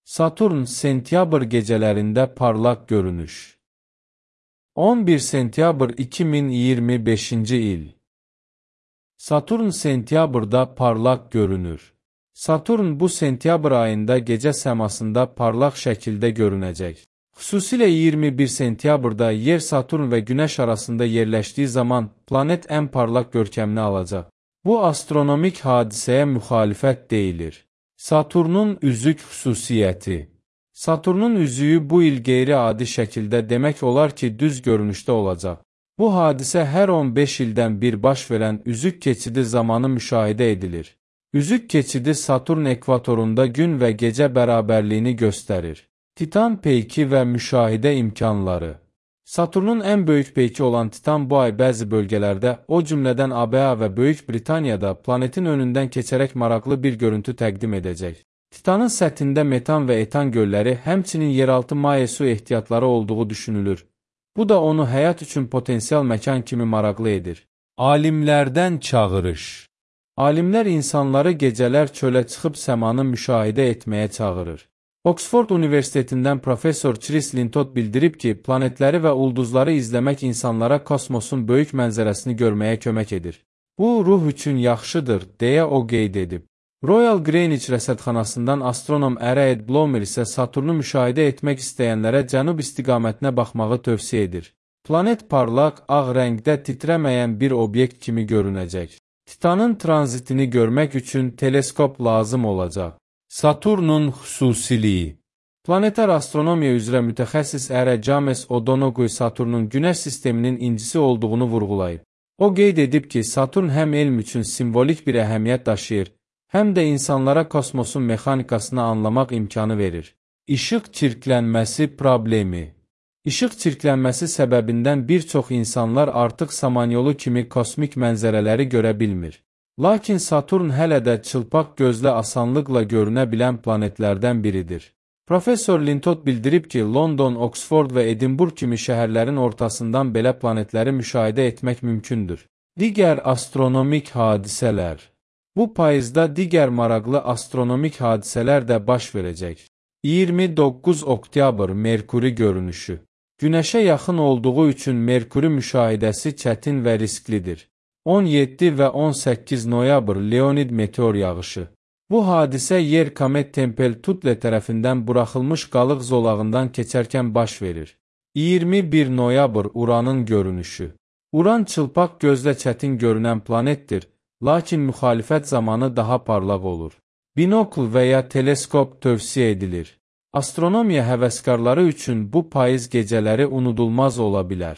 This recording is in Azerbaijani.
Saturn sentyabr gecelərində parlaq görünüş. 11 sentyabr 2025-ci il. Saturn sentyabrda parlaq görünür. Saturn bu sentyabr ayında gecə səmasında parlaq şəkildə görünəcək. Xüsusilə 21 sentyabrda Yer, Saturn və Günəş arasında yerləşdiyi zaman planet ən parlaq görkəmini alacaq. Bu astronomik hadisəyə müxalifət deyilir. Saturnun üzük xüsusiyyəti. Saturnun üzüyü bu il qeyri-adi şəkildə demək olar ki, düz görünüşdə olacaq. Bu hadisə hər 15 ildən bir baş verən üzük keçidi zamanı müşahidə edilir. Üzük keçidi Saturn ekvatorunda gün və gecə bərabərliyini göstərir. Titan peyki və müşahidə imkanları. Saturnun ən böyük peyki olan Titan bu ay bəzi bölgələrdə, o cümlədən ABA və Böyük Britaniyada planetin önündən keçərək maraqlı bir görüntü təqdim edəcək. Titanın səthində metan və etan gölləri, həmçinin yeraltı maye su ehtiyatları olduğu düşünülür. Bu da onu həyat üçün potensial məkan kimi maraqlı edir. Alimlərdən çağırış. Alimlər insanları gecələr çölə çıxıb səmanı müşahidə etməyə çağırır. Oxford Universitetindən professor Chris Lintott bildirib ki, planetləri və ulduzları izləmək insanlara kosmosun böyük mənzərəsini görməyə kömək edir. Bu, ruh üçün yaxşıdır, deyə o qeyd edib. Royal Greenwich rəsədxanasından astronom Ed Blomer isə Saturnu müşahidə etmək istəyənlərə cənub istiqamətinə baxmağı tövsiyə edir. Planet parlaq, ağ rəngdə titrəməyən bir obyekt kimi görünəcək. Titanın tranzitini görmək üçün teleskop lazım olacaq. Saturnun xüsusiliyi. Planetar astronomiya üzrə mütəxəssis James O'Donoghue Saturnun Günəş sisteminin incisi olduğunu vurğulayıb. O qeyd edib ki, Saturn həm elm üçün simvolik bir əhəmiyyət daşıyır, həm də insanlara kosmosun mexanikasını anlamaq imkanı verir. İşıq çirklənməsi problemi. İşıq çirklənməsi səbəbindən bir çox insanlar artıq Samanyolu kimi kosmik mənzərələri görə bilmir. Lakin Saturn hələ də çılpaq gözlə asanlıqla görünə bilən planetlərdən biridir. Professor Lintott bildirib ki, London, Oxford və Edinburgh kimi şəhərlərin ortasından belə planetləri müşahidə etmək mümkündür. Digər astronomik hadisələr. Bu payızda digər maraqlı astronomik hadisələr də baş verəcək. 29 oktyabr Merkuri görünüşü. Günəşə yaxın olduğu üçün Merkuri müşahidəsi çətin və risklidir. 17 və 18 noyabr Leonid meteor yağışı. Bu hadisə Yer komet Tempel-Tuttle tərəfindən buraxılmış qalıq zolağından keçərkən baş verir. 21 noyabr Uranın görünüşü. Uran çılpaq gözlə çətin görünən planetdir, lakin müxalifət zamanı daha parlaq olur. Binokl və ya teleskop tövsiyə edilir. Astronomiya həvəskarları üçün bu payız gecələri unudulmaz ola bilər.